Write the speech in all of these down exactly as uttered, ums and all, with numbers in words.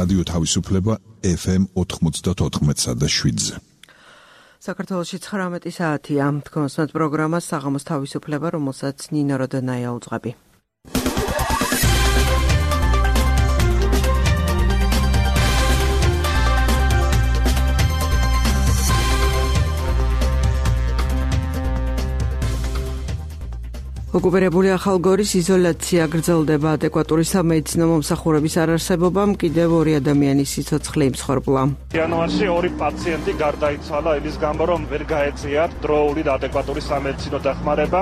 რადიო თავისუფლება ეფ ემ ოთხმოცდაოთხ და შვიდზე. საქართველოში ცხრამეტი საათია. თქვენს პროგრამას საღამოს თავისუფლება, რომელსაც ნინო როდენაია უძღვები. ოკუპირებული ახალგორის იზოლაცია გრძელდება. ადეკვატური სამედიცინო მომსახურების არარსებობამ კიდევ ორი ადამიანის სიცოცხლე იმსხვერპლა. იანვარში ორი პაციენტი გარდაიცვალა იმის გამო, რომ ვერ გაეწიათ დროული და ადეკვატური სამედიცინო დახმარება.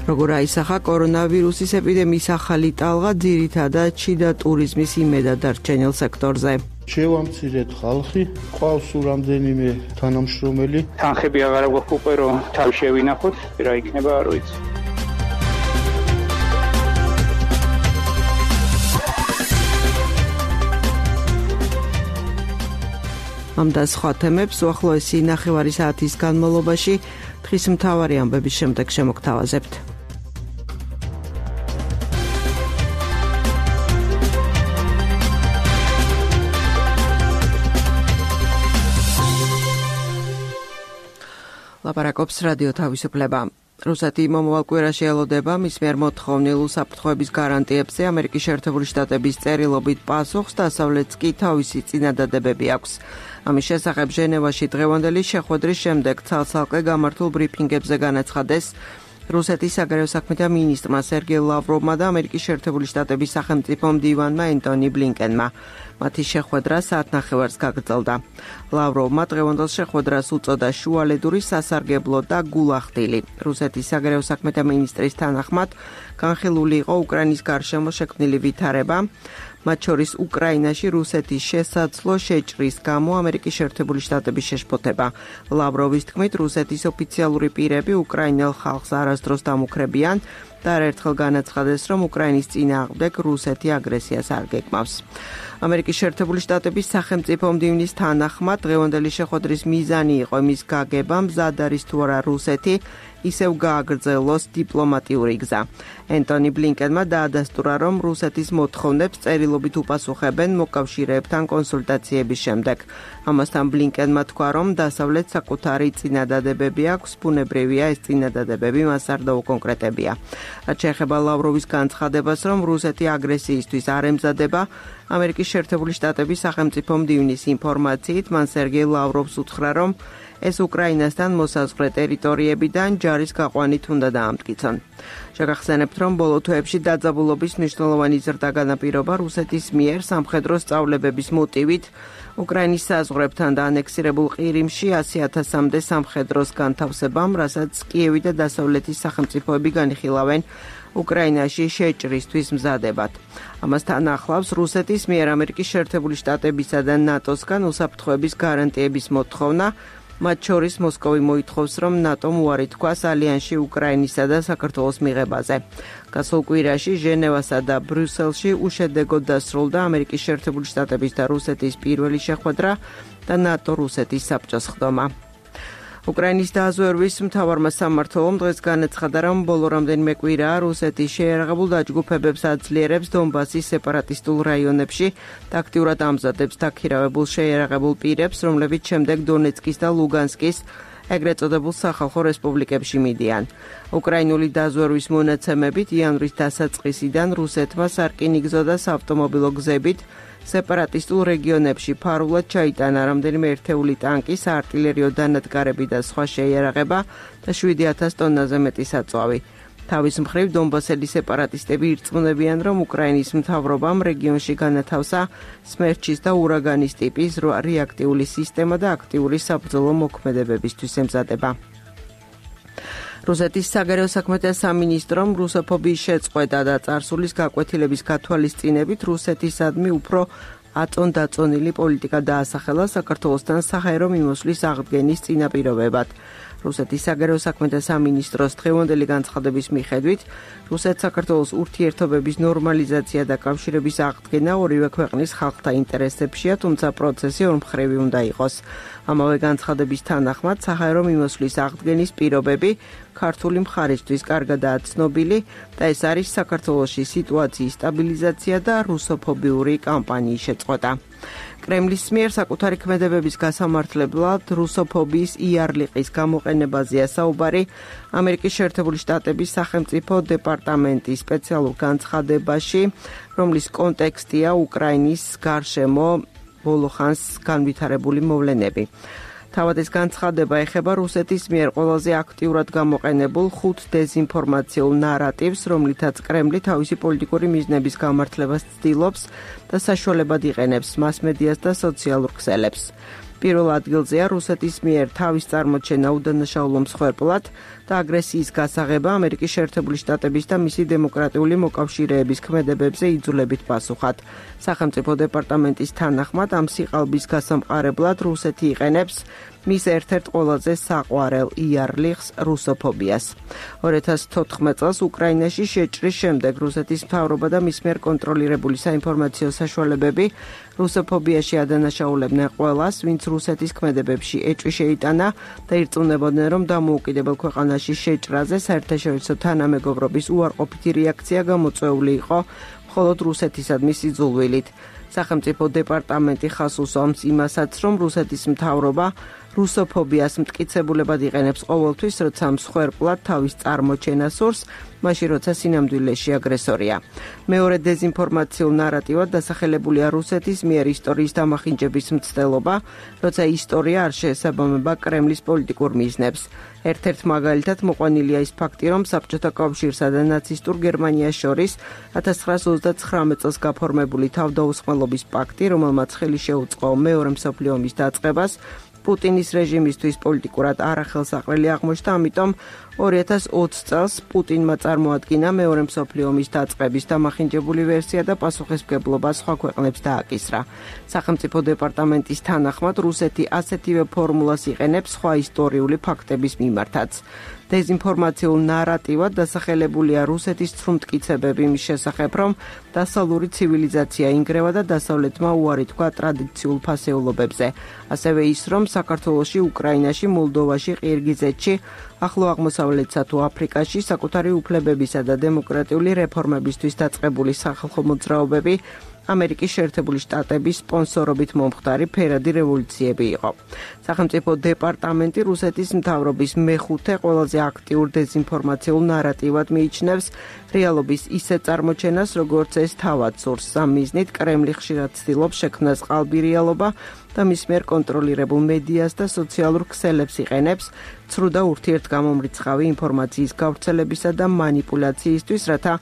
როგორ აისახა კორონავირუსის ეპიდემიის ახალი ტალღა ძირითადად შიდა ტურიზმის იმედად დარჩენილ სექტორზე. შევამცირეთ ხალხი, ყავს რამდენიმე თანამშრომელი. თანხები აღარ გვაქვს უკვე რომ თავი შევინახოთ, რა იქნება არ ვიცი. ამ და სხვა თემებს უახლოესი ნახევარი საათის განმავლობაში დღის მთავარი ამბების შემდეგ შემოგთავაზებთ. ლაპარაკობს რადიო თავისუფლება. რუსეთი მომავალ კვირაში ელოდება მის მიერ მოთხოვნილ უსაფრთხოების გარანტიებზე ამერიკის შეერთებული შტატების წერილობით პასუხს, დასავლეთს კი თავისი წინადადებები აქვს. ამის შესახებ ჟენევაში დღევანდელი შეხვედრის შემდეგ ცალ-ცალკე გამართულ ბრიფინგებზე განაცხადეს რუსეთის საგარეო საქმეთა მინისტრმა სერგეი ლავროვმა და ამერიკის შეერთებული შტატების სახელმწიფო მდივანმა ენტონი ბლინკენმა. მათი შეხვედრა საათნახევარს გაგრძელდა. ლავროვმა დღევანდელ შეხვედრას უწოდა შუალედური სასარგებლო და გულახდილი. რუსეთის საგარეო საქმეთა მინისტრის თანახმად განხილული იყო უკრაინის გარშემო შექმნილი ვითარება, მათ შორის უკრაინაში რუსეთის შესაძლო შეჭრის გამო ამერიკის შეერთებული შტატების შეშფოთება. ლავროვის თქმით, რუსეთის ოფიციალური პირები უკრაინელ ხალხს არასდროს დამუქრებიან და არაერთხელ განაცხადეს, რომ უკრაინის წინააღმდეგ რუსეთი აგრესიას არ გეკმავს. ამერიკის შეერთებული შტატების სახელმწიფო მდივნის თანახმად დღევანდელი შეხვედრის მიზანი იყო იმის გაგება, მზად არის თუ არა რუსეთი ისევ გააგრძელოს დიპლომატიური გზა. ენტონი ბლინკენმა დაადასტურა, რომ რუსეთის მოთხოვნებს წერილობით უპასუხებენ მოკავშირეებთან კონსულტაციების შემდეგ. ამასთან ბლინკენმა თქვა, რომ დასავლეთს საკუთარი წინადადებები აქვს, ბუნებრივია ეს წინადადებები მას არ დაუკონკრეტებია. რაც შეეხება ლავროვის განცხადებას, რომ რუსეთი აგრესიისთვის არ ემზადება, ამერიკის შეერთებული შტატების სახელმწიფო მდივნის ინფორმაციით, მან სერგეი ლავროვს უთხრა, რომ ეს უკრაინასთან მოსაზღვრე ტერიტორიებიდან ჯარის გაყვანით უნდა დაამტკიცონ. შეგახსენებთ, რომ ბოლო თვეებში დაძაბულობის მნიშვნელოვანი ზრდა განაპირობა რუსეთის მიერ სამხედრო სწავლებების მოტივით უკრაინის საზღვრებთან და ანექსირებულ ყირიმში ასი ათასამდე სამხედროს განთავსებამ, რასაც კიევი და დასავლეთის სახელმწიფოები განიხილავენ უკრაინაში შეჭრისთვის მზადებად. ამასთან ახლავს რუსეთის მიერ ამერიკის შეერთებული შტატებისა და ნატოსგან უსაფრთხოების გარანტიების მოთხოვნა, მათ შორის მოსკოვი მოითხოვს, რომ ნატომ უარი თქვას ალიანსში უკრაინისა და საქართველოს მიღებაზე. გასულ კვირაში ჟენევასა და ბრიუსელში უშედეგოდ დასრულდა ამერიკის შეერთებული შტატების და რუსეთის პირველი შეხვედრა და ნატო-რუსეთის საბჭოს ხდომა. უკრაინის დაზვერვის მთავარმა სამმართველომ დღეს განაცხადა, რომ ბოლო რამდენიმე კვირაა რუსეთი შეიარაღებულ დაჯგუფებებს აძლიერებს დონბასის სეპარატისტულ რაიონებში და აქტიურად ამზადებს დაქირავებულ შეიარაღებულ პირებს, რომლებიც შემდეგ დონეცკის და ლუგანსკის ეგრეთ წოდებულ სახალხო რესპუბლიკებში მიდიან. უკრაინული დაზვერვის მონაცემებით იანვრის დასაწყისიდან რუსეთმა სარკინიგზო და საავტომობილო გზებით სეპარატისტულ რეგიონებში ფარულად ჩაიტანა რამდენიმე ერთეული ტანკი, საარტილერიო დანადგარები და სხვა შეიარაღება და შვიდი ათას ტონაზე მეტი საწვავი. თავის მხრივ დონბასელი სეპარატისტები ირწმუნებიან, რომ უკრაინის მთავრობამ რეგიონში განათავსა სმერჩის და ურაგანის ტიპის რეაქტიული სისტემა და აქტიური საბრძოლო მოქმედებებისთვის ემზადება. რუსეთის საგარეო საქმეთა სამინისტრომ რუსოფობიის შეწყვეტა და წარსულის გაკვეთილების გათვალისწინებით რუსეთისადმი უფრო აწონ-დაწონილი პოლიტიკა დაასახელა საქართველოსთან საჰაერო მიმოსვლის აღდგენის წინაპირობებად. რუსეთის საგარეო საქმეთა სამინისტროს დღევანდელი განცხადების მიხედვით, რუსეთ-საქართველოს ურთიერთობების ნორმალიზაცია და კავშირების აღდგენა ორივე ქვეყნის ხალხთა ინტერესებშია, თუმცა პროცესი ორმხრივი უნდა იყოს. ამავე განცხადების თანახმად, საჰაერო მიმოსვლის აღდგენის პირობები ქართული მხარისთვის კარგადაა ცნობილი და ეს არის საქართველოში სიტუაციის სტაბილიზაცია და რუსოფობიური კამპანიის შეწყვეტა. კრემლის მიერ საკუთარი ქმედებების გასამართლებლად რუსოფობიის იარლიყის გამოყენებაზეა საუბარი ამერიკის შეერთებული შტატების სახელმწიფო დეპარტამენტის სპეციალურ განცხადებაში, რომლის კონტექსტია უკრაინის გარშემო ბოლო ხანს განვითარებული მოვლენები. თავად ეს განცხადება ეხება რუსეთის მიერ ყველაზე აქტიურად გამოყენებულ ხუთ დეზინფორმაციულ ნარატივს, რომლითაც კრემლი თავისი პოლიტიკური მიზნების გამართლებას ცდილობს და საშუალებად იყენებს მასმედიას და სოციალურ ქსელებს. პირველ ადგილზეა რუსეთის მიერ თავის წარმოჩენა უდანაშაულო მსხვერპლად და აგრესიის გასაღება ამერიკის შეერთებული შტატების და მისი დემოკრატიული მოკავშირეების ქმედებებზე იძულებით პასუხად. სახელმწიფო დეპარტამენტის თანახმად ამ სიყალბის გასამყარებლად რუსეთი იყენებს მის ერთ-ერთ ყველაზე საყვარელ იარლიხს რუსოფობიას. ორი ათას თოთხმეტ წელს უკრაინაში შეჭრის შემდეგ რუსეთის მთავრობა და მის მიერ კონტროლირებული საინფორმაციო საშუალებები რუსოფობიაში ადანაშაულებდნენ ყველას, ვინც რუსეთის ქმედებებში ეჭვი შეიტანა და ირწმუნებოდნენ, რომ დამოუკიდებელ ქვეყანაში შეჭრაზე საერთაშორისო თანამეგობრობის უარყოფითი რეაქცია გამოწვეული იყო მხოლოდ რუსეთისადმი სიძულვილით. სახელმწიფო დეპარტამენტი ხაზს უსვამს იმასაც, რომ რუსეთის მთავრობა რუსოფობიას მტკიცებულებად იყენებს ყოველთვის, როცა მსხვერპლად თავის წარმოჩენას სურს, მაშინ როცა სინამდვილეში აგრესორია. მეორე დეზინფორმაციულ ნარატივად დასახელებულია რუსეთის მიერ ისტორიის დამახინჯების მცდელობა, როცა ისტორია არ შეესაბამება კრემლის პოლიტიკურ მიზნებს. ერთ-ერთ მაგალითად მოყვანილია ის ფაქტი, რომ საბჭოთა კავშირსა და ნაცისტურ გერმანიას შორის ათას ცხრაას ოცდაცხრამეტ წელს გაფორმებული თავდაუსხმელობის პაქტი, რომელმაც ხელი შეუწყო მეორე მსოფლიო ომის დაწყებას, პუტინის რეჟიმისთვის პოლიტიკურად არახელსაყრელი აღმოჩნდა, ამიტომ ორი ათას ოცი წელს პუტინმა წარმოადგინა მეორე მსოფლიო ომის დაწყების დამახინჯებული ვერსია და პასუხისმგებლობა სხვა ქვეყნებს დააკისრა. სახელმწიფო დეპარტამენტის თანახმად რუსეთი ასეთივე ფორმულას იყენებს სხვა ისტორიული ფაქტების მიმართაც. დეზინფორმაციულ ნარატივად დასახელებულია რუსეთის ცრუმტკიცებები იმის შესახებ, რომ დასავლური ცივილიზაცია ინგრევა და დასავლეთმა უარი თქვა ტრადიციულ ფასეულობებზე. ასევე ის, რომ საქართველოში, უკრაინაში, მოლდოვაში, ყირგიზეთში, ახლო აღმოსავლეთსა თუ აფრიკაში საკუთარი უფლებებისა და დემოკრატიული რეფორმებისთვის დაწყებული სახალხო მოძრაობები ამერიკის შეერთებული შტატების სპონსორობით მომხდარი ფერადი რევოლუციები იყო. სახელმწიფო დეპარტამენტი რუსეთის მთავრობის მეხუთე ყველაზე აქტიურ დეზინფორმაციულ ნარატივად მიიჩნევს რეალობის ისე წარმოჩენას, როგორც ეს თავად სურს. ამ მიზნით კრემლი ხშირად ცდილობს შექმნას ყალბი რეალობა და მის მიერ კონტროლირებულ მედიას და სოციალურ ქსელებს იყენებს ცრუ და ურთიერთგამომრიცხავი ინფორმაციის გავრცელებისა და მანიპულაციისთვის, რათა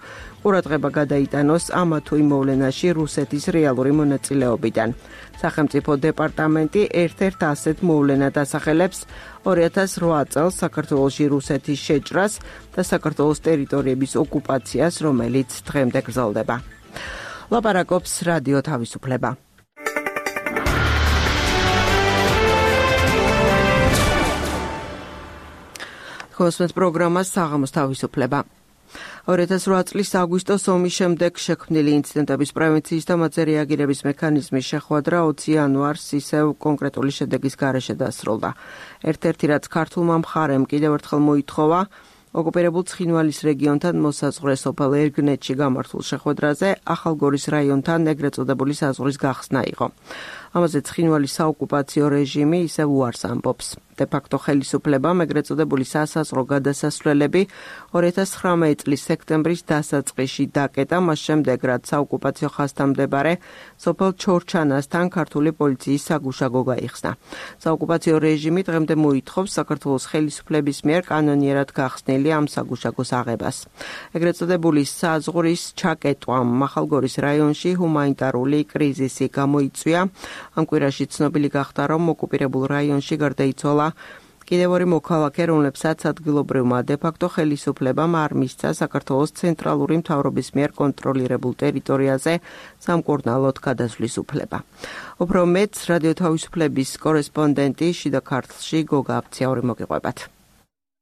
ყურადღება გადაიტანოს ამა თუ იმ მოვლენაში რუსეთის რეალური მონაწილეობიდან. სახელმწიფო დეპარტამენტი ერთ-ერთ ასეთ მოვლენად ასახელებს ორი ათას რვა წელს საქართველოში რუსეთის შეჭრას და საქართველოს ტერიტორიების ოკუპაციას, რომელიც დღემდე გრძელდება. ლაპარაკობს რადიო თავისუფლება. ხოსმეთ პროგრამა საღამოს თავისუფლება. ორი ათას რვა წლის აგვისტოს ომის შემდეგ შექმნილი ინციდენტების პრევენციის და მათზე რეაგირების მექანიზმის შეხვედრა ოცი იანვარს ისევ კონკრეტული შედეგის გარეშე დასრულდა. ერთ-ერთი რაც ქართულმა მხარემ კიდევ ერთხელ მოითხოვა, ოკუპირებულ ცხინვალის რეგიონთან მოსაზღვრე სოფელ ერგნეთში გამართულ შეხვედრაზე ახალგორის რაიონთან ეგრეთ წოდებული საზღვრის გახსნა იყო. ამაზე ცხინვალის საოკუპაციო რეჟიმი ისევ უარს ამბობს. დე-ფაქტო ხელისუფლებამ ეგრეთ წოდებული სასაზღვრო გადასასვლელები ორი ათას ცხრამეტ წლის სექტემბრის დასაწყისში დაკეტა, მას შემდეგ რაც საოკუპაციო ხაზთან მდებარე სოფელ ჩორჩანასთან ქართული პოლიციის საგუშაგო გაიხსნა. საოკუპაციო რეჟიმი დღემდე მოითხოვს საქართველოს ხელისუფლების მიერ კანონიერად გახსნილი ამ საგუშაგოს აღებას. ეგრეთ წოდებული საზღვრის ჩაკეტვამ ახალგორის რაიონში ჰუმანიტარული კრიზისი გამოიწვია. ამ კვირაში ცნობილი გახდა, რომ ოკუპირებულ რაიონში გარდაიცვალა კიდევ ორი მოქალაქე, რომლებსაც ადგილობრივმა დე-ფაქტო ხელისუფლებამ არ მისცა საქართველოს ცენტრალური მთავრობის მიერ კონტროლირებულ ტერიტორიაზე სამკურნალოდ გადასვლის უფლება. უფრო მეტს რადიო თავისუფლების კორესპონდენტი შიდა ქართლში გოგა აფციაური მოგიყვებათ.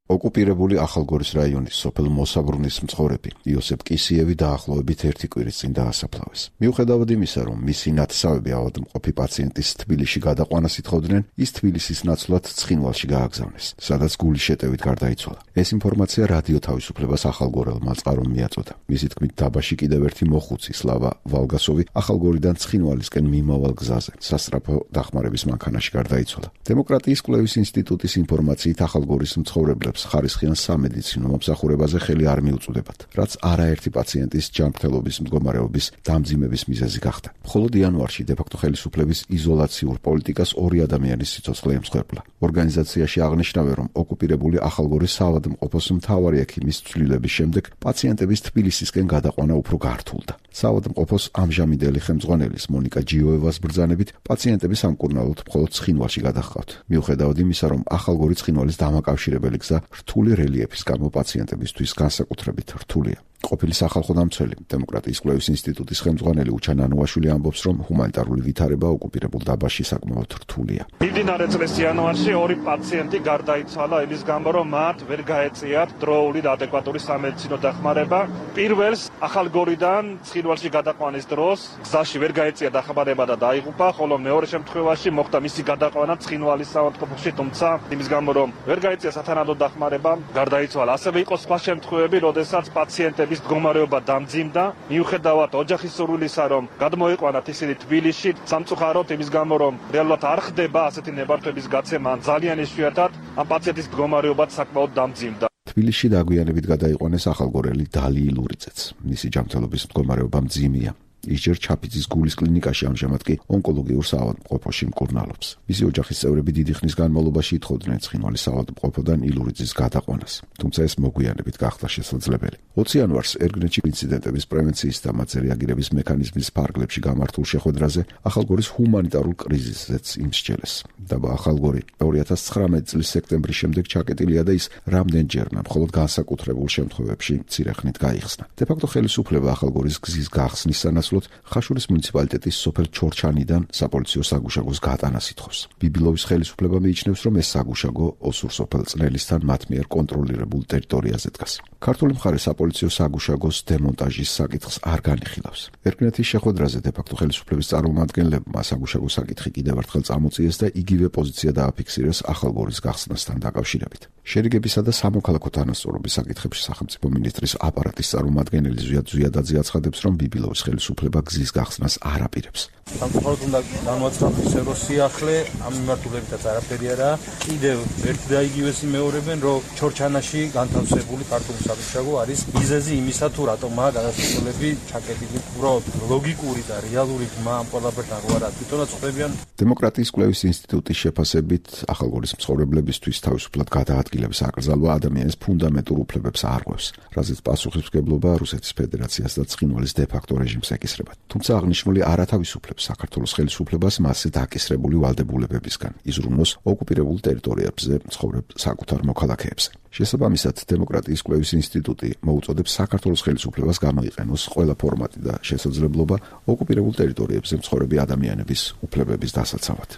ოკუპირებული ახალგორის რაიონის სოფელ მოსაბრუნის მცხოვრები იოსებ კისიევი დაახლოებით ერთი კვირის წინ დაასაფლავეს. მიუხედავად იმისა, რომ მისი ნათესავები ავადმყოფი პაციენტის თბილისში გადაყვანას ითხოვდნენ, ის თბილისის ნაცვლად ცხინვალში გააგზავნეს, სადაც გულის შეტევით გარდაიცვალა. ეს ინფორმაცია რადიო თავისუფლებას ახალგორელმა წყარომ მიაწოდა. მისი თქმით, დაბაში კიდევ ერთი მოხუცი სლავა ვალგასოვი ახალგორიდან ცხინვალისკენ მიმავალ გზაზე სასწრაფო დახმარების მანქანაში გარდაიცვალა. დემოკრატიის კვლევის ინსტიტუტის ინფორმაციით ახალგორის მცხოვრებლებს ხარისხიან სამედიცინო მომსახურებაზე ხელი არ მიუწვდებათ, რაც არაერთი პაციენტის ჯანმრთელობის მდგომარეობის დამძიმების მიზეზი გახდა. მხოლოდ იანვარში დე-ფაქტო ხელისუფლების იზოლაციურ პოლიტიკას ორი ადამიანის სიცოცხლე ემსხვერპლა. ორგანიზაციაში აღნიშნავენ, რომ ოკუპირებული ახალგორის საავადმყოფოს მთავარი ექიმის ცვლილების შემდეგ პაციენტების თბილისისკენ გადაყვანა უფრო გართულდა. საავადმყოფოს ამჟამინდელი ხელმძღვანელის მონიკა ჯიოევას ბრძანებით პაციენტები სამკურნალოდ მხოლოდ ცხინვალში გადაჰყავთ. მიუხედავად იმისა, რომ ახალგორი ცხინვალის დამაკავშირებელი გზა რთული რელიეფის გამო პაციენტებისთვის განსაკუთრებით რთულია. ყოფილი სახალხო დამცველი დემოკრატიის კვლევის ინსტიტუტის ხელმძღვანელი უჩან ანუაშვილი ამბობს, რომ ჰუმანიტარული ვითარება ოკუპირებულ დაბაში საკმაოდ რთულია. მიმდინარე წლის იანვარში ორი პაციენტი გარდაიცვალა იმის გამო, რომ მათ ვერ გაეწიათ დროული და ადეკვატური სამედიცინო დახმარება. პირველს ახალგორიდან ცხინვალში გადაყვანის დროს გზაში ვერ გაეწია დახმარება და დაიღუპა, ხოლო მეორე შემთხვევაში მოხდა მისი გადაყვანა ცხინვალის საავადმყოფოში, თუმცა იმის გამო, რომ ვერ გაეწია სათანადო დახმარება, გარდაიცვალა. ასევე იყო სხვა შემთხვევები, როდესაც პაციენტები მდგომარეობა დამძიმდა, მიუხედავად ოჯახის სურვილისა, რომ გადმოიყვანათ ისინი თბილისში, სამწუხაროდ იმის გამო, რომ რეალურად არ ხდება ასეთი ნებართვების გაცემა, ძალიან იშვიათად ამ პაციენტის მდგომარეობაც საკმაოდ დამძიმდა. თბილისში დაგვიანებით გადაიყვანეს ახალგორელი დალი ილურიძეც. მისი ჯანმრთელობის მდგომარეობა მძიმეა. ის ჯერ ჩაფიძის გულის კლინიკაში, ამჟამად კი ონკოლოგიურ საავადმყოფოში მკურნალობს. მისი ოჯახის წევრები დიდი ხნის განმავლობაში ითხოვდნენ ცხინვალის საავადმყოფოდან ილურიძის გადაყვანას, თუმცა ეს მოგვიანებით გახდა შესაძლებელი. ოცი იანვარს ერგნეთში ინციდენტების პრევენციის და მათზე რეაგირების მექანიზმის ფარგლებში გამართულ შეხვედრაზე ახალგორის ჰუმანიტარულ კრიზისზეც იმსჯელეს. დაბა ახალგორი ორი ათას ცხრამეტი წლის სექტემბრის შემდეგ ჩაკეტილია და ის რამდენჯერმე მხოლოდ განსაკუთრებულ შემთხვევებში მცირე ხნით გაიხსნა. დე-ფაქტო ხელისუფლება ახალგორის გზის გახსნის სანაცვლოდ ხაშურის მუნიციპალიტეტის სოფელ ჩორჩანიდან საპოლიციო საგუშაგოს გატანას ითხოვს. ბიბილოვის ხელისუფლება მიიჩნევს, რომ ეს საგუშაგო ოსურ სოფელ წნელისთან მათ მიერ კონტროლირებულ ტერიტორიაზე დგას. ქართული მხარე საპოლიციო საგუშაგოს დემონტაჟის საკითხს არ განიხილავს. ერგნეთის შეხვედრაზე დე-ფაქტო ხელისუფლების წარმომადგენლებმა საგუშაგოს საკითხი კიდევ ერთხელ წამოწიეს და იგივე პოზიცია დააფიქსირეს ახალგორის გახსნასთან დაკავშირებით. შერიგებისა და სამოქალაქო თანასწორობის საკითხებში სახელმწიფო მინისტრის აპარატის წარმომადგენელი ზვიად ზვიადაძე აცხადებს, რომ ბიბილოვის ხელისუფლება გზის გახსნას არ აპირებს. სამწუხაროდ უნდა განვაცხადოთ, რომ სიახლე ამ მიმართულებითაც არაფერი არაა. კიდევ ერთი და იგივეს იმეორებენ, რომ ჩორჩანაში განთავსებული ქართული საგუშაგო არის მიზეზი იმისა, თუ რატომაა გადასახადები ჩაკეტილი. უბრალოდ ლოგიკური და რეალური გმა ამ ყველაფერთან რო არა თვითონაც ხვდებიან. დემოკრატიის კვლევის ინსტიტუტის შეფასებით ახალგორის მცხოვრებლებისთვის თავისუფლად გადაადგილების აკრძალვა ადამიანის ფუნდამენტურ უფლებებს აარღვევს, რაზეც პასუხისმგებლობა რუსეთის ფედერაციას და ცხინვალის დე-ფაქტო რეჟიმს ეკისრება. თუმცა აღნიშნული არათავისუფლებს საქართველოს ხელისუფლებას მასზე დაკისრებული ვალდებულებებისგან იზრუნოს ოკუპირებულ ტერიტორიებზე მცხოვრებ საკუთარ მოქალაქეებზე. შესაბამისად, დემოკრატიის კვლევის ინსტიტუტი მოუწოდებს საქართველოს ხელისუფლებას გამოიყენოს ყველა ფორმატი და შესაძლებლობა ოკუპირებულ ტერიტორიებზე მცხოვრები ადამიანების უფლებების დასაცავად.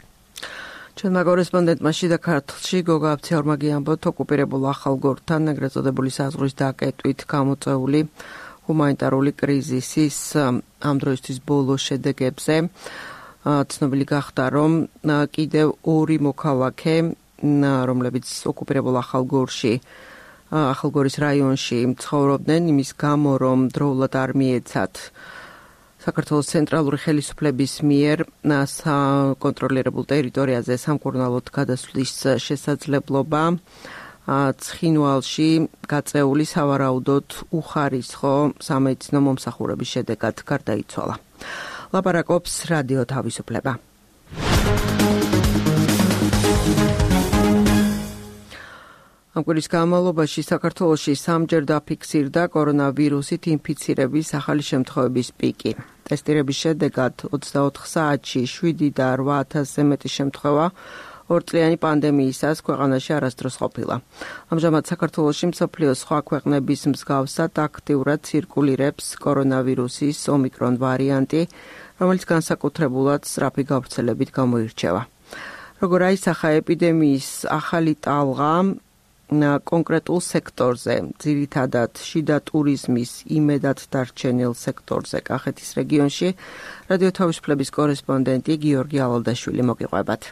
ჩვენმა კორესპონდენტმა შიდა ქართლში გოგა აფციორმა გიამბოთ, ოკუპირებულ ახალგორთან ეგრეთ წოდებული საზღვრის დაკეტვით გამოწვეული ჰუმანიტარული კრიზისის ამ დროისთვის ბოლო შედეგებზე. ცნობილი გახდა, რომ კიდევ ორი მოქალაქე, რომლებიც ოკუპირებულ ახალგორში, ახალგორის რაიონში ცხოვრობდნენ, იმის გამო, რომ დროულად არ მიეცათ საქართველოს ცენტრალური ხელისუფლების მიერ საკონტროლირებულ ტერიტორიაზე სამკურნალოდ გადასვლის შესაძლებლობა, ცხინვალში გაწეული სავარაუდოდ უხარისხო სამედიცინო მომსახურების შედეგად გარდაიცვალა. ლაპარაკობს რადიო თავისუფლება. ამ კვირის განმავლობაში საქართველოში სამჯერ დაფიქსირდა კორონავირუსით ინფიცირების ახალი შემთხვევების პიკი. ტესტირების შედეგად ოცდაოთხ საათში შვიდი და რვა ათასზე მეტი შემთხვევა ორწლიანი პანდემიისას ქვეყანაში არასდროს ყოფილა. ამჟამად საქართველოში მსოფლიოს სხვა ქვეყნების მსგავსად აქტიურად ცირკულირებს კორონავირუსის ომიკრონ ვარიანტი, რომელიც განსაკუთრებულად სწრაფი გავრცელებით გამოირჩევა. როგორ აისახა ეპიდემიის ახალი ტალღა, კონკრეტულ სექტორზე, ძირითადად შიდა ტურიზმის იმედად დარჩენილ სექტორზე კახეთის რეგიონში. რადიო თავისუფლების კორესპონდენტი გიორგი ალალდაშვილი მოგიყვებათ.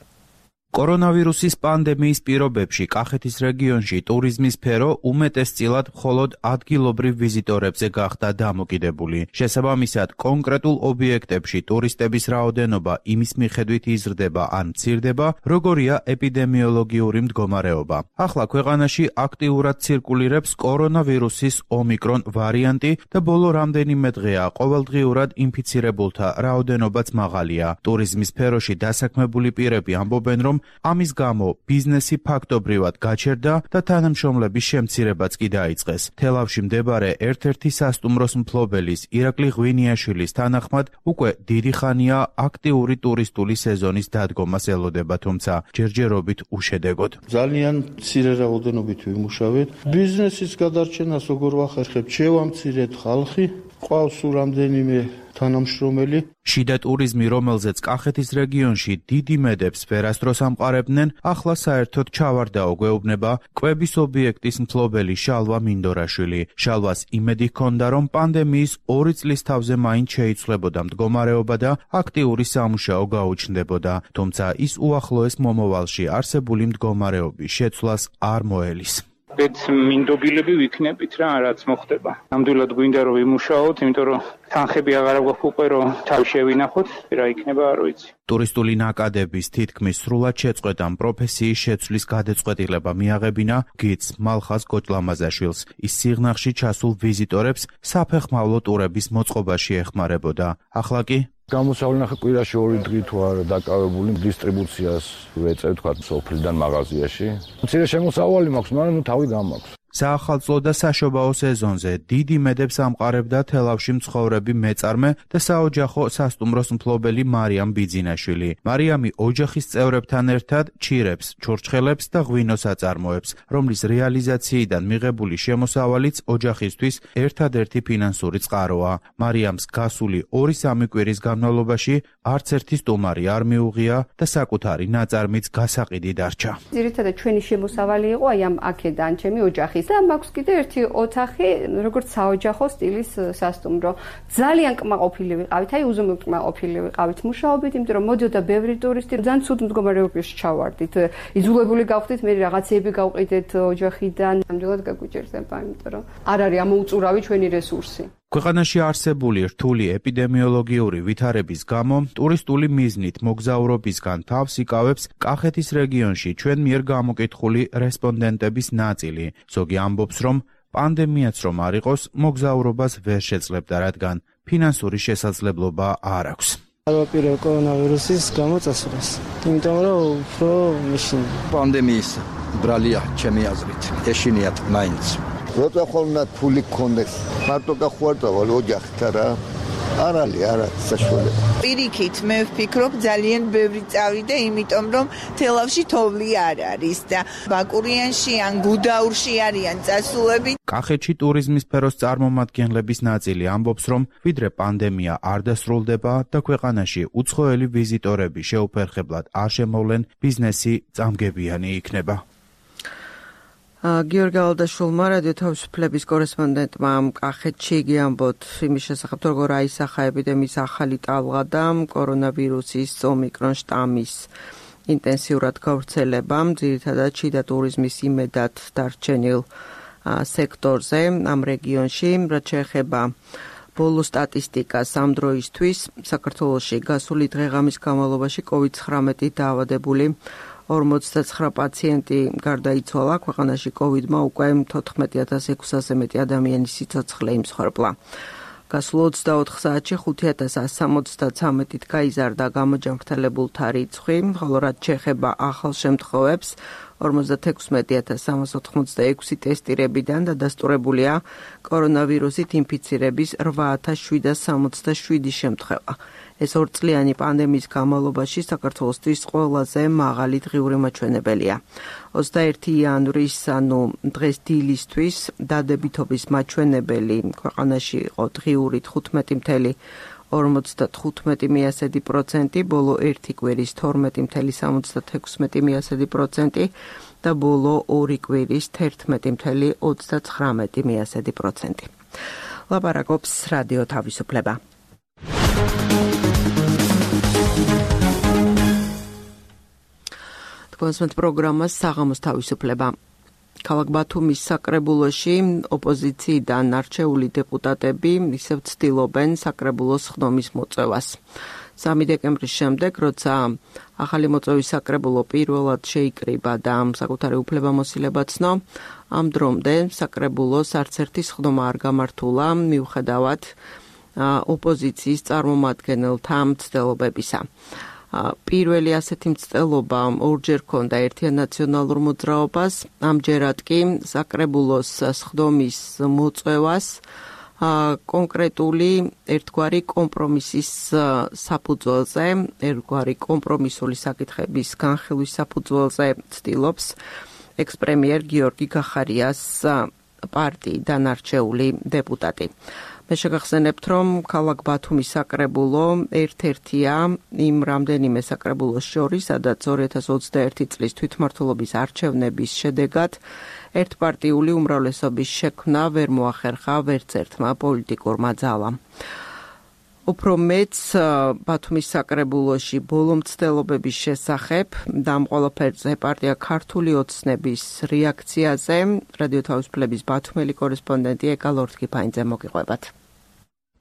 კორონავირუსის პანდემიის პირობებში კახეთის რეგიონში ტურიზმის სფერო უმეტესწილად მხოლოდ ადგილობრივ ვიზიტორებზე გახდა დამოკიდებული. შესაბამისად, კონკრეტულ ობიექტებში ტურისტების რაოდენობა იმის მიხედვით იზრდება ან მცირდება, როგორია ეპიდემიოლოგიური მდგომარეობა. ახლა ქვეყანაში აქტიურად ცირკულირებს კორონავირუსის ომიკრონ ვარიანტი და ბოლო რამდენიმე დღეა ყოველდღიურად ინფიცირებულთა რაოდენობაც მაღალია. ტურიზმის სფეროში დასაქმებული პირები ამბობენ, რომ ამის გამო ბიზნესი ფაქტობრივად გაჩერდა და თანამშრომლების შემცირებაც კი დაიწყეს. თელავში მდებარე ერთ-ერთი სასტუმროს მფლობელის ირაკლი ღვინიაშვილის თანახმად უკვე დიდი ხანია აქტიური ტურისტული სეზონის დადგომას ელოდება, თუმცა ჯერჯერობით უშედეგოდ. ძალიან მცირე რაოდენობით ვიმუშავეთ. ბიზნესის გადარჩენას როგორ ვახერხებთ? შევამცირეთ ხალხი, ყავს რამდენიმე თანამშრომელი. შიდა ტურიზმი, რომელზეც კახეთის რეგიონში დიდი მედებს ვერასდროს ამყარებდნენ, ახლა საერთოდ ჩავარდაო გვეუბნება კვების ობიექტის მფლობელი შალვა მინდორაშვილი. შალვას იმედი ჰქონდა, რომ პანდემიის ორი წლის თავზე მაინც შეიცვლებოდა მდგომარეობა და აქტიური სამუშაო გაუჩნდებოდა, თუმცა ის უახლოეს მომავალში არსებული მდგომარეობის შეცვლას არ მოელის. ბედს მინდობილები ვიქნებით რა, რაც მოხდება. ნამდვილად გვინდა რომ ვიმუშაოთ, იმიტომ რომ თანხები აღარ გვაქვს უკვე რომ თავი შევინახოთ, რა იქნება არ ვიცი. ტურისტული ნაკადების თითქმის სრულად შეწყვეტამ პროფესიის შეცვლის გადაწყვეტილება მიაღებინა გიდს მალხაზ გოჭლამაზაშვილს. ის სიღნაღში ჩასულ ვიზიტორებს საფეხმავლო ტურების მოწყობაში ეხმარებოდა. ახლა კი გამოსავლენ ახლა კვირაში ორი დღე თუ არ დაკავებული დისტრიბუციას ვეწევ თქვა სოფლიდან მაღაზიაში. მცირე შემოსავალი მაქვს, მაგრამ ნუ თავი გამაქვს. საახალწლო და საშობაო სეზონზე დიდი მედებს ამყარებდა თელავში მცხოვრები მეწარმე და საოჯახო სასტუმროს მფლობელი მარიამ ბიძინაშვილი. მარიამი ოჯახის წევრებთან ერთად ჩირებს, ჩურჩხელებს და ღვინოს აწარმოებს, რომლის რეალიზაციიდან მიღებული შემოსავალიც ოჯახისთვის ერთადერთი ფინანსური წყაროა. მარიამს გასული ორი-სამი კვირის განმავლობაში არც ერთი სტუმარი არ მიუღია და საკუთარი ნაწარმიც გასაყიდი დარჩა. ძირითადად ჩვენი შემოსავალი იყო აი ამ აქედან ჩემი ოჯახის და მაქვს კიდე ერთი ოთახი, როგორც საოჯახო სტილის სასტუმრო. ძალიან კმაყოფილი ვიყავით, აი უზომოდ კმაყოფილი ვიყავით მუშაობით, იმიტომ რომ მოდიოდა ბევრი ტურისტი, ძალიან ცუდ მდგომარეობაში ჩავარდით. იძულებული გავხდით მე რაღაცეები გავყიდეთ ოჯახიდან, ნამდვილად გაგვიჭირდება, იმიტომ რომ არ არის ამოუწურავი ჩვენი რესურსი. ქვეყანაში არსებული რთული ეპიდემიოლოგიური ვითარების გამო ტურისტული მიზნით მოგზაურობისგან თავს იკავებს კახეთის რეგიონში ჩვენ მიერ გამოკითხული რესპონდენტების ნაწილი. ზოგი ამბობს, რომ პანდემიაც რომ არ იყოს, მოგზაურობას ვერ შეძლებდა, რადგან ფინანსური შესაძლებლობა არ აქვს. არვაპირე კორონავირუსის გამო წასულას. იმიტომ რომ უფრო მაშინ პანდემიის ბრალია ჩემი აზრით. ეშინიათ მაინც. როცა ხოლმე ფული გქონდეს, მარტო გახვარდავალ ოჯახთან რა. არ არის, არ არის საშუალება. პირიქით მე ვფიქრობ ძალიან ბევრი წავიდა, იმიტომ რომ თელავში თოვლი არ არის და ბაკურიანში ან გუდაურში არიან წასულები. კახეთში ტურიზმის სფეროს წარმომადგენლების ნაწილი ამბობს, რომ ვიდრე პანდემია არ დასრულდება და ქვეყანაში უცხოელი ვიზიტორები შეუფერხებლად არ შემოვლენ, ბიზნესი წამგებიანი იქნება. გიორგი ალალდაშვილმა რადიო თავისუფლების კორესპონდენტმა კახეთში გიამბოთ იმის შესახებ, როგორ აისახა ეპიდემიის ახალი ტალღა და კორონავირუსის ომიკრონ შტამის ინტენსიურად გავრცელებამ, ძირითადად შიდა ტურიზმის იმედად დარჩენილ სექტორზე ამ რეგიონში, რაც შეეხება ბოლო სტატისტიკას ამ დროისთვის საქართველოში გასული დღე-ღამის განმავლობაში კოვიდ ცხრამეტი დაავადებული ორმოცდაცხრა პაციენტი გარდაიცვალა. ქვეყანაში კოვიდმა უკვე თოთხმეტი ათას ექვსასზე მეტი ადამიანის სიცოცხლე იმსხვერპლა. გასულ ოცდაოთხ საათში ხუთი ათას ასი სამოცდაცამეტით გაიზარდა გამოჯანმრთელებულთა რიცხვი, ხოლო რაც შეეხება ახალ შემთხვევებს, ორმოცდათექვსმეტი ათას სამას ოთხმოცდაექვსი ტესტირებიდან დადასტურებულია კორონავირუსით ინფიცირების რვა ათას შვიდას სამოცდაშვიდი შემთხვევა. ეს ორწლიანი პანდემიის განმავლობაში საქართველოსთვის ყველაზე მაღალი დღიური მაჩვენებელია. ოცდაერთი იანვრის, ანუ დღეს დილისთვის დადებითობის მაჩვენებელი ქვეყანაში იყო დღიური თხუთმეტი მცდარი ორმოცდათხუთმეტი პროცენტი, ბოლო ერთი კვირის თორმეტი მცდარი სამოცდათექვსმეტი პროცენტი და ბოლო ორი კვირის თერთმეტი წუთი ოცდაცხრამეტი პროცენტი. ლაპარაკობს რადიო თავისუფლება. თქვენს პროგრამას საღამოს თავისუფლება. ქალაქ ბათუმის საკრებულოში ოპოზიციიდან არჩეული დეპუტატები ისევ ცდილობენ საკრებულოს ხდომის მოწევას. სამი დეკემბრის შემდეგ, როცა ახალი მოწვევის საკრებულო პირველად შეიკრიბა და საკუთარი უფლებამოსილება ცნო, ამ დრომდე საკრებულოს არც ერთი სხდომა არ გამართულა, მიუხედავად ოპოზიციის წარმომადგენელთა მცდელობებისა. პირველი ასეთი მცდელობა ორჯერ ჰქონდა ერთიან ნაციონალურ მოძრაობას, ამჯერად კი საკრებულოს სხდომის მოწვევას კონკრეტული ერთგვარი კომპრომისის საფუძველზე, ერთგვარი კომპრომისული საკითხების განხილვის საფუძველზე ცდილობს ექს-პრემიერ გიორგი გახარიას პარტიიდან არჩეული დეპუტატი. მე შეგახსენებთ, რომ ქალაქ ბათუმის საკრებულო ერთ-ერთია იმ რამდენიმე საკრებულოს შორის, სადაც ორი ათას ოცდაერთი წლის თვითმმართველობის არჩევნების შედეგად ერთპარტიული უმრავლესობის შექმნა ვერ მოახერხა ვერც ერთმა პოლიტიკურმა ძალამ. უფრო მეც ბათუმის საკრებულოში ბოლო მცდელობების შესახებ და ამ ყველაფერზე პარტია ქართული ოცნების რეაქციაზე რადიო თავისუფლების ბათუმელი კორესპონდენტი ეკა ლორთქიფაინძე მოგიყვებათ.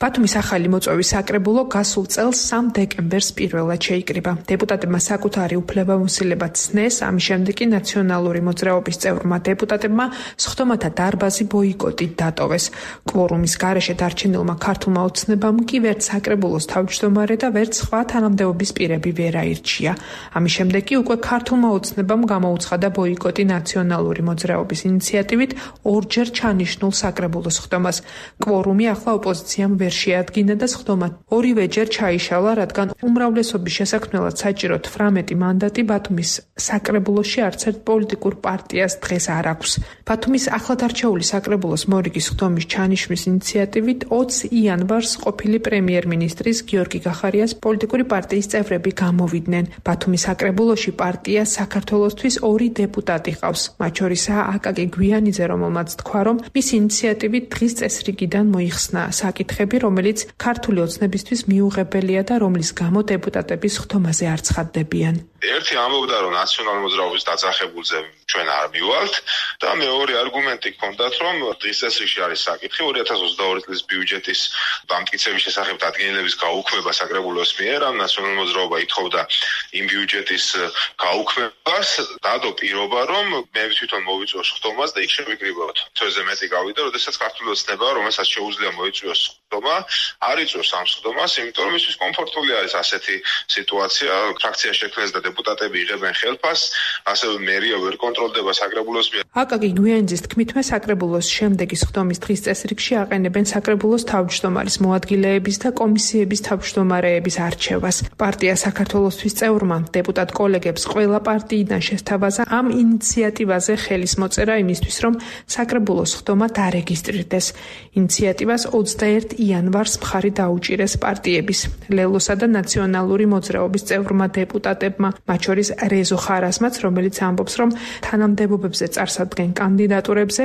ბათუმის ახალი მოწვევის საკრებულო გასულ წელს სამ დეკემბერს პირველად შეიკრიბა. დეპუტატებმა საკუთარი უფლებამოსილება ცნეს, ამის შემდეგ კი ნაციონალური მოძრაობის წევრმა დეპუტატებმა სხდომათა დარბაზი ბოიკოტით დატოვეს. კვორუმის გარეშე დარჩენილმა ქართულმა ოცნებამ კი ვერც საკრებულოს თავმჯდომარე და ვერც სხვა თანამდებობის პირები ვერ აირჩია. ამის შემდეგ კი უკვე ქართულმა ოცნებამ გამოუცხადა ბოიკოტი ნაციონალური მოძრაობის ინიციატივით ორჯერ ჩანიშნულ საკრებულოს სხდომას. კვორუმი ახლა ოპოზიციამ ვერ შეადგინა და სხდომა ორივეჯერ ჩაიშალა, რადგან უმრავლესობის შესაქმნელად საჭირო თვრამეტი მანდატი ბათუმის საკრებულოში არც ერთ პოლიტიკურ პარტიას დღეს არ აქვს. ბათუმის ახლად არჩეული საკრებულოს მორიგის სხდომის ჩანიშვნის ინიციატივით ოცი იანვარს ყოფილი პრემიერ-მინისტრის გიორგი გახარიას პოლიტიკური პარტიის წევრები გამოვიდნენ. ბათუმის საკრებულოში პარტია საქართველოსთვის ორი დეპუტატი ყავს, მათ შორისაა აკაკი გვიანიძე, რომელმაც თქვა, რომ მის ინიციატივით დღის წესრიგიდან მოიხსნა საკითხები, რომელიც ქართული ოცნებისთვის მიუღებელია და რომლის გამო დეპუტატები სხდომაზე არ ცხადდებიან. ერთი ამბობდა, რომ ნაციონალური მოძრაობის დაძახებულზე ჩვენ არ მივალთ და მეორე არგუმენტი ჰქონდათ, რომ დღის წესრიგში არის საკითხი ორი ათას ოცდაორი წლის ბიუჯეტის დამტკიცების შესახებ დადგენილების გაუქმება საკრებულოს მიერ, ამ ნაციონალური მოძრაობა ითხოვდა იმ ბიუჯეტის გაუქმებას, დადო პირობა, რომ მე თვითონ მოვიწვიოს სხდომას და იქ შევიკრიბოთ. თვეზე მეტი გავიდა, როდესაც ქართული ოცნება, რომელსაც შეუძლია მოიწვიოს სხდომა, არ იწვევს ამ სხდომას, იმიტომ რომ ისვის კომფორტული არის ასეთი სიტუაცია, ფრაქცია შექმნეს და დეპუტატები იღებენ ხელფას, ასევე მერია ვერ კონტროლდება საკრებულოს მიერ. აკაკი გვიანიძის თქმითმე საკრებულოს შემდეგი სხდომის დღის წესრიგში აყენებენ საკრებულოს თავმჯდომარის მოადგილეების და კომისიების თავმჯდომარეების არჩევას. პარტია საქართველოსთვის წევრმა დეპუტატ კოლეგებს ყველა პარტიიდან შესთავაზა ამ ინიციატივაზე ხელის მოწერა იმისთვის, რომ საკრებულოს სხდომა დარეგისტრირდეს. ინიციატივას ოცდაერთი იანვარს მხარი დაუჭირეს პარტიების, ლელოსა და ნაციონალური მოძრაობის წევრმა დეპუტატებმა, მათ შორის რეზო ხარასმაც, რომელიც ამბობს, რომ თანამდებობებზე წარსადგენ კანდიდატურებზე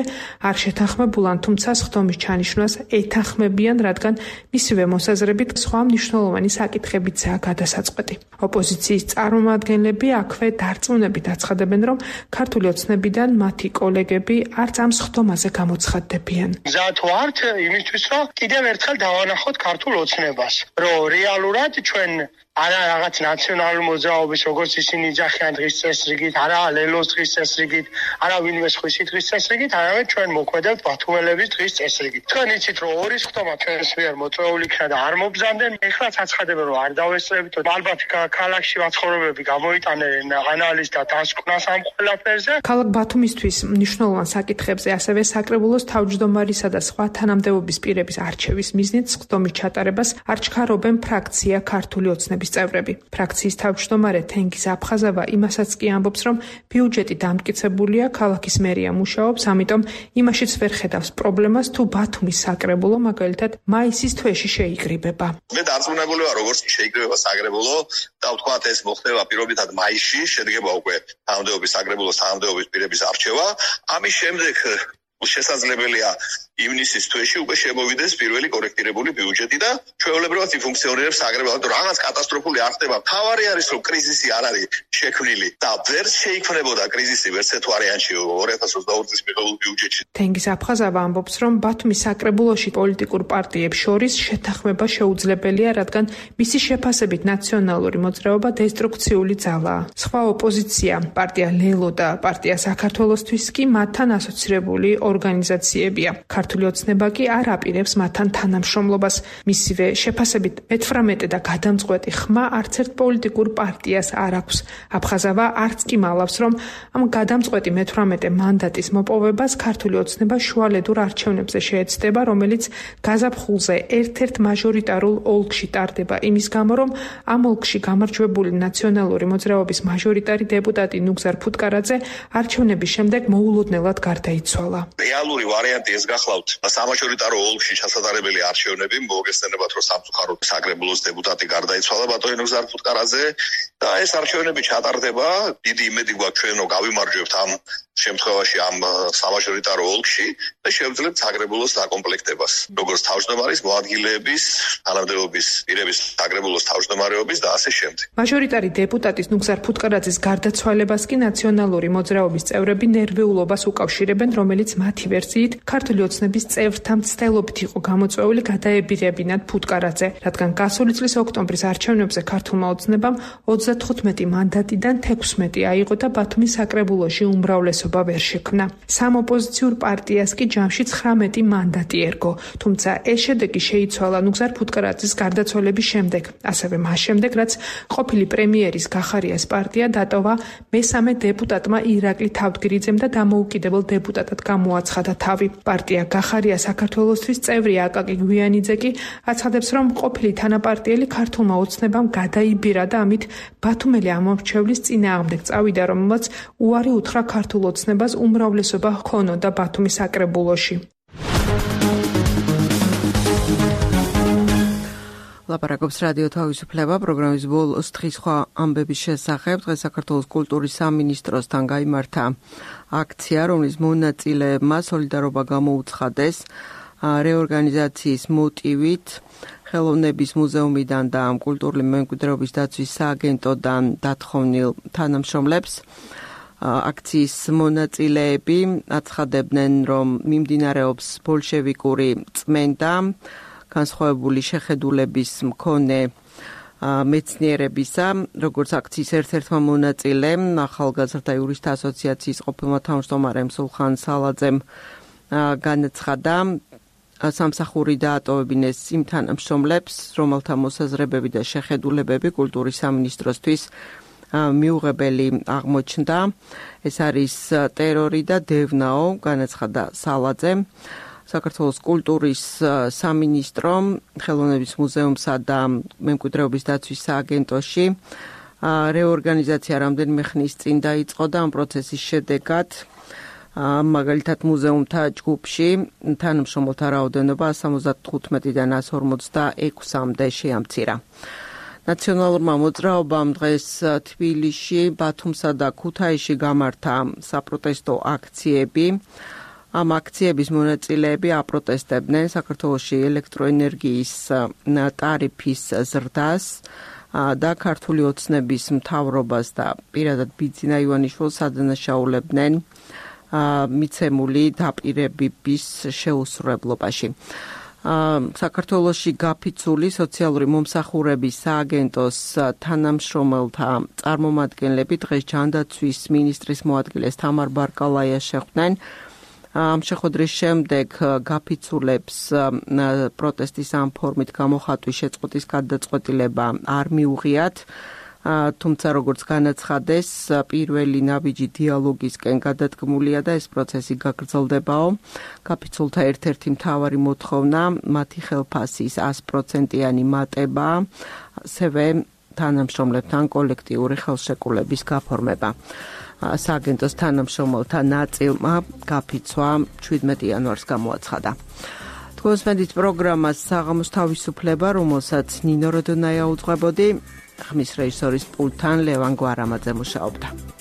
არ შეთანხმებულან, თუმცა სხდომის ჩანიშვნას ეთანხმებიან, რადგან მისივე მოსაზრებით სხვა მნიშვნელოვანი საკითხებიცაა გადასაწყვეტი. ოპოზიციის წარმომადგენლები აქვე დარწმუნებით აცხადებენ, რომ ქართული ოცნებიდან მათი კოლეგები არც ამ სხდომაზე გამოცხადდებიან. მზად ვართ იმისთვის, რომ კიდევ ერთხელ დავანახოთ ქართულ ოცნებას, რომ რეალურად ჩვენ არა რაღაც ნაციონალური მოძრაობის, როგორც ისინი იძახიან დღის წესრიგით, არა ლელოს დღის წესრიგით, არა ვინმე სხვის დღის წესრიგით, არამედ ჩვენ მოქმედებთ ბათუმელების დღის წესრიგით. თქვენ იცით, რომ ორი სხდომა ჩვენს მიერ მოწვეული იქნა და არ მობრძანდნენ, ეხლაც აცხადებენ, რომ არ დავესწრებით, ალბათ ქალაქში მაცხოვრებლები გამოიტანენ ანალიზს და დასკვნას ამ ყველაფერზე. ქალაქ ბათუმისთვის მნიშვნელოვან საკითხებზე, ასევე საკრებულოს თავმჯდომარისა და სხვა თანამდებობის პირების არჩევის მიზნით სხდომის ჩატარებას არ ჩქარობენ ფრაქცია ქართული ოცნების პარტიის წევრები. ფრაქციის თავმჯდომარე თენგიზ აფხაზავა იმასაც კი ამბობს, რომ ბიუჯეტი დამტკიცებულია, ქალაქის მერია მუშაობს, ამიტომ იმაშიც ვერ ხედავს პრობლემას, თუ ბათუმის საკრებულო მაგალითად მაისის თვეში შეიკრიბება. მე დარწმუნებული ვარ, როგორც კი შეიკრიბება საკრებულო და ვთქვათ ეს მოხდება პირობითად მაისში, შედგება უკვე თანამდებობის საკრებულოს თანამდებობის პირების არჩევა. ამის შემდეგ შესაძლებელია ივნისის თვეში უკვე შემოვიდეს პირველი კორექტირებული ბიუჯეტი და ჩვეულებრივად იფუნქციონირებს საკრებულო. რაღაც კატასტროფული არ ხდება. თავარი არის, რომ კრიზისი არ არის შექმნილი და ვერ შეიქმნებოდა კრიზისი ვერც ერთ ვარიანტში ორი ათას ოცდაორი წლის მიღებულ ბიუჯეტში. თენგიზ აფხაზავა ამბობს, რომ ბათუმის საკრებულოში პოლიტიკურ პარტიებს შორის შეთანხმება შეუძლებელია, რადგან მისი შეფასებით ნაციონალური მოძრაობა დესტრუქციული ძალაა. სხვა ოპოზიცია, პარტია ლელო და პარტია საქართველოსთვის კი მათთან ასოცირებული ორგანიზაციებია. ქართული ოცნება კი არ აპირებს მათთან თანამშრომლობას. მისივე შეფასებით მეთვრამეტე და გადამწყვეტი ხმა არც ერთ პოლიტიკურ პარტიას არ აქვს. აფხაზავა არც კი მალავს, რომ ამ გადამწყვეტი მეთვრამეტე მანდატის მოპოვებას ქართული ოცნება შუალედურ არჩევნებზე შეეცდება, რომელიც გაზაფხულზე ერთ-ერთ მაჟორიტარულ ოლქში ტარდება იმის გამო, რომ ამ ოლქში გამარჯვებული ნაციონალური მოძრაობის მაჟორიტარი დეპუტატი ნუგზარ ფუტკარაძე არჩევნების შემდეგ მოულოდნელად გარდაიცვალა. რეალური ვარიანტი ეს გახლავთ სამაჟორიტარო ოლქში ჩასატარებელი არჩევნები, მოგესწრებათ, რომ სამწუხაროდ საკრებულოს დეპუტატი გარდაიცვალა ბატონი ნუგზარ ფუტკარაძე და ეს არჩევნები ჩატარდება. დიდი იმედი გვაქვს ჩვენ, რომ გავიმარჯვებთ ამ შემთხვევაში ამ სამაჟორიტარო ოლქში და შევძლებთ საკრებულოს დაკომპლექტებას. როგორც თავმჯდომარის, მოადგილეების, თანამდებობის პირების საკრებულოს თავმჯდომარეობის და ასე შემდეგ. მაჟორიტარი დეპუტატის ნუგზარ ფუტკარაძის გარდაცვალებას კი ნაციონალური მოძრაობის წევრები ნერვიულობას უკავშირებენ, რომელიც მათი ვერსიით ქართული ოცნების წევრთა მცდელობით იყო გამოწვეული გადაებირებინათ ფუტკარაძე, რადგან გასული წლის ოქტომბრის არჩევნებზე ქართულმა ოცნებამ ოცდათხუთმეტი მანდატიდან თექვსმეტი აიღო და ბათუმის საკრებულოში უმრავლესობა ვერ შექმნა. სამ ოპოზიციურ პარტიას კი ჯამში ცხრამეტი მანდატი ერგო, თუმცა ეს შედეგი შეიცვალა ნუგზარ ფუტკარაძის გარდაცვალების შემდეგ, ასევე მას შემდეგ, რაც ყოფილი პრემიერის გახარიას პარტია დატოვა მესამე დეპუტატმა ირაკლი თავდგირიძემ და დამოუკიდებელ დეპუტატად გამოაცხადა თავი. პარტია გახარია საქართველოსთვის წევრი აკაკი გვიანიძე კი აცხადებს, რომ ყოფილი თანაპარტიელი ქართულმა ოცნებამ გადაიბირა და ამით ბათუმელი ამორჩევლის წინააღმდეგ წავიდა, რომელმაც უარი უთხრა ქართულ ოცნებას უმრავლესობა ჰქონოდა ბათუმის საკრებულოში. ლაპარაკობს რადიო თავისუფლება პროგრამის ბოლოს დღის სხვა ამბების შესახებ. დღეს საქართველოს კულტურის სამინისტროსთან გაიმართა აქცია, რომლის მონაწილეებმა სოლიდარობა გამოუცხადეს რეორგანიზაციის მოტივით ხელოვნების მუზეუმიდან და კულტურული მემკვიდრეობის დაცვის სააგენტოდან დათხოვნილ თანამშრომლებს. აქციის მონაწილეები აცხადებდნენ, რომ მიმდინარეობს ბოლშევიკური წმენდა განსხვავებული შეხედულების მქონე მეცნიერებისა, როგორც აქციის ერთ-ერთმა მონაწილემ, ახალგაზრდა იურისტთა ასოციაციის ყოფილმა თავმჯდომარემ სულხან სალაძემ განაცხადა, სამსახური დაატოვებინეს იმ თანამშრომლებს, რომელთა მოსაზრებები და შეხედულებები კულტურის სამინისტროსთვის მიუღებელი აღმოჩნდა. ეს არის ტერორი და დევნაო, განაცხადა სალაძემ. საქართველოს კულტურის სამინისტრომ ხელოვნების მუზეუმსა და მემკვიდრეობის დაცვის სააგენტოში რეორგანიზაცია რამდენიმე ხნის წინ დაიწყო და ამ პროცესის შედეგად მაგალითად მუზეუმთა ჯგუფში თანამშრომელთა რაოდენობა სამოცდათხუთმეტიდან ასი ორმოცდაექვსამდე შეამცირა. ნაციონალურმა მოძრაობამ დღეს თბილისში, ბათუმსა და ქუთაისში გამართა საპროტესტო აქციები. ამ აქციების მონაწილეები აპროტესტებდნენ საქართველოში ელექტროენერგიის ტარიფის ზრდას და ქართული ოცნების მთავრობას და პირადად ბიძინა ივანიშვილს ადანაშაულებდნენ მიცემული დაპირებების შეუსრულებლობაში. საქართველოში გაფიცული სოციალური მომსახურების სააგენტოს თანამშრომელთა წარმომადგენლები დღეს ჯანდაცვის მინისტრის მოადგილეს თამარ ბარკალაიას შეხვდნენ. ამ შეხვედრის შემდეგ გაფიცულებს პროტესტის ამ ფორმით გამოხატვის შეწყვეტის გადაწყვეტილება არ მიუღიათ, თუმცა როგორც განაცხადეს, პირველი ნაბიჯი დიალოგისკენ გადადგმულია და ეს პროცესი გაგრძელდებაო. გაფიცულთა ერთ-ერთი მთავარი მოთხოვნა მათი ხელფასის ასი პროცენტიანი მატება, ასევე თანამშრომლებთან კოლექტიური ხელშეკრულების გაფორმება. სააგენტოს თანამშრომელთა ნაწილმა გაფიცვა შვიდმეტი იანვარს გამოაცხადა. თქვენს მედით პროგრამას საღამოს თავისუფლება, რომელსაც ნინო როდონაია უძღვებოდი, ხმის რეჟისორის პულტთან ლევან გვარამაძე მუშაობდა.